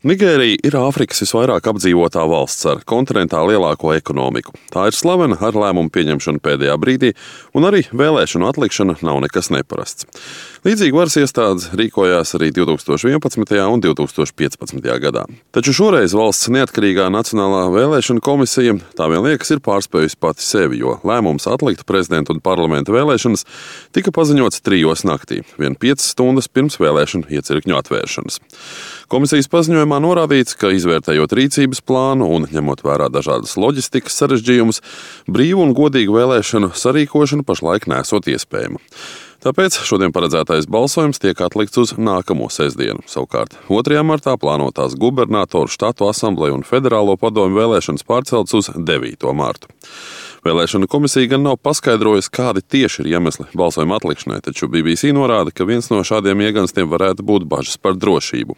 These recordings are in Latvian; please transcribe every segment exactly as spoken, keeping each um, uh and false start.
Nigērija ir Āfrikas visvairāk apdzīvotā valsts ar kontinentā lielāko ekonomiku. Tā ir slavena ar lēmumu pieņemšanu pēdējā brīdī, un arī vēlēšanu atlikšana nav nekas neparasts. Līdzīgi varas iestādes rīkojās arī divi tūkstoši vienpadsmitajā un divi tūkstoši piecpadsmitajā gadā. Taču šoreiz valsts neatkarīgā Nacionālā vēlēšana komisija, tā vien liekas, ir pārspējusi pati sevi, jo lēmums atlikt prezidenta un parlamenta vēlēšanas tika paziņots trijos naktī, vien piecas stundas pirms vēlēšanu iecirkņu atvēršanas. Komisijas paziņojumā norādīts, ka izvērtējot rīcības plānu un ņemot vērā dažādas loģistikas sarežģījumus, brīvu un godīgu vēlēšanu sarīkošana pašlaik nesot iespējama. Tāpēc šodien paredzētais balsojums tiek atlikts uz nākamo sestdienu. Savukārt otrajā martā plānotās gubernatoru, štatu asambleju un federālo padomju vēlēšanas pārceltas uz devīto martu. Vēlēšanu komisija gan nav paskaidrojusi, kādi tieši ir iemesli balsojuma atlikšanai, taču B B C norāda, ka viens no šādiem ieganstiem varētu būt bažas par drošību.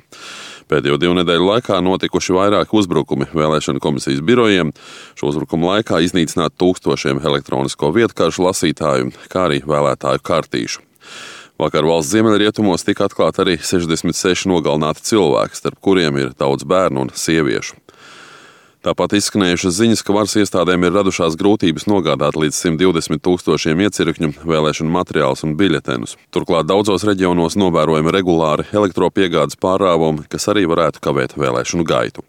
Pēdējo divu nedēļu laikā notikuši vairāki uzbrukumi vēlēšanu komisijas birojiem. Šo uzbrukumu laikā iznīcināt tūkstošiem elektronisko vietkaršu lasītāju, kā arī vēlētāju kartīšu. Vakar valsts ziemeļrietumos tika atklāti arī sešdesmit seši nogalināti cilvēki, starp kuriem ir daudz bērnu un sieviešu. Tāpat izskanējušas ziņas, ka varas iestādēm ir radušās grūtības nogādāt līdz simt divdesmit tūkstošiem iecirkņu vēlēšanu materiālus un biļetenus. Turklāt daudzos reģionos novērojami regulāri elektropiegādes pārrāvumi, kas arī varētu kavēt vēlēšanu gaitu.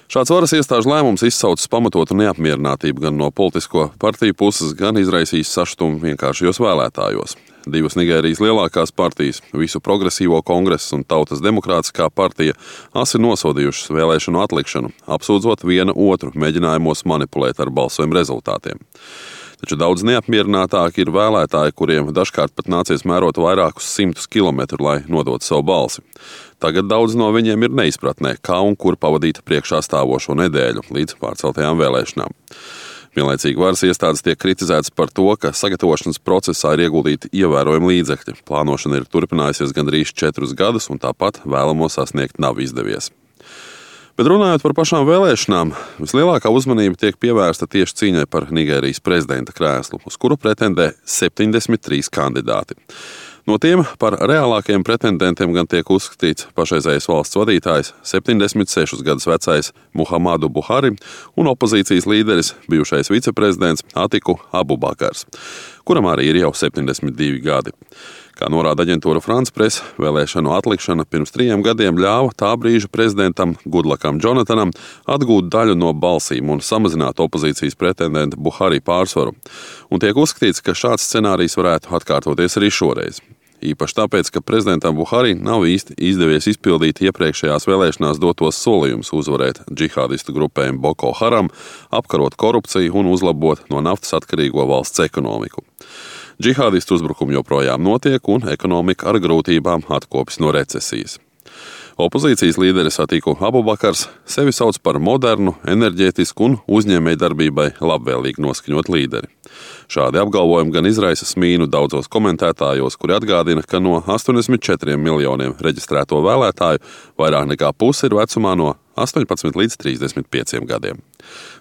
Šāds varas iestāžu lēmums izsaucis pamatotu neapmierinātību gan no politisko partiju puses, gan izraisījis sašutumu vienkāršajos vēlētājos. Divas Nigērijas lielākās partijas, Visu progresīvo kongresu un Tautas demokrātiskā partija, asi nosodījušas vēlēšanu atlikšanu, apsūdzot viena otru mēģinājumos manipulēt ar balsojumu rezultātiem. Taču daudz neapmierinātāki ir vēlētāji, kuriem dažkārt pat nācies mērot vairākus simtus kilometru, lai nodotu savu balsi. Tagad daudz no viņiem ir neizpratnē, kā un kur pavadīt priekšā stāvošo nedēļu līdz pārceltajām vēlēšanām. Vienlaicīgi varas iestādes tiek kritizētas par to, ka sagatavošanas procesā ir ieguldīti ievērojami līdzekļi. Plānošana ir turpinājusies gandrīz četrus gadus, un tāpat vēlamo sasniegt nav izdevies. Bet runājot par pašām vēlēšanām, vislielākā uzmanība tiek pievērsta tieši cīņai par Nigērijas prezidenta krēslu, uz kuru pretendē septiņdesmit trīs kandidāti. No tiem par reālākajiem pretendentiem gan tiek uzskatīts pašreizējais valsts vadītājs, septiņdesmit sešus gadus vecais Muhamadu Buhari un opozīcijas līderis, bijušais viceprezidents Atiku Abubakars, kuram arī ir jau septiņdesmit divi gadi. Kā norāda aģentūra France Press, vēlēšanu atlikšana pirms trījiem gadiem ļāva tā brīža prezidentam Gudlakam Džonatanam atgūt daļu no balsīm un samazināt opozīcijas pretendenta Buhari pārsvaru. Un tiek uzskatīts, ka šāds scenārijs varētu atkārtoties arī šoreiz. Īpaši tāpēc, ka prezidentam Buhari nav īsti izdevies izpildīt iepriekšējās vēlēšanās dotos solījumus uzvarēt džihādistu grupējumu Boko Haram, apkarot korupciju un uzlabot no naftas atkarīgo valsts ekonomiku. Džihādistu uzbrukumi joprojām notiek un ekonomika ar grūtībām atkopjas no recesijas. Opozīcijas līderis Atiku Abubakars sevi sauc par modernu, enerģētisku un uzņēmējdarbībai labvēlīgi noskaņot līderi. Šādi apgalvojumi gan izraisa smīnu daudzos komentētājos, kuri atgādina, ka no astoņdesmit četriem miljoniem reģistrēto vēlētāju vairāk nekā puse ir vecumā no astoņpadsmit līdz trīsdesmit pieciem gadiem.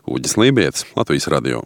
Uģis Lībietis, Latvijas radio.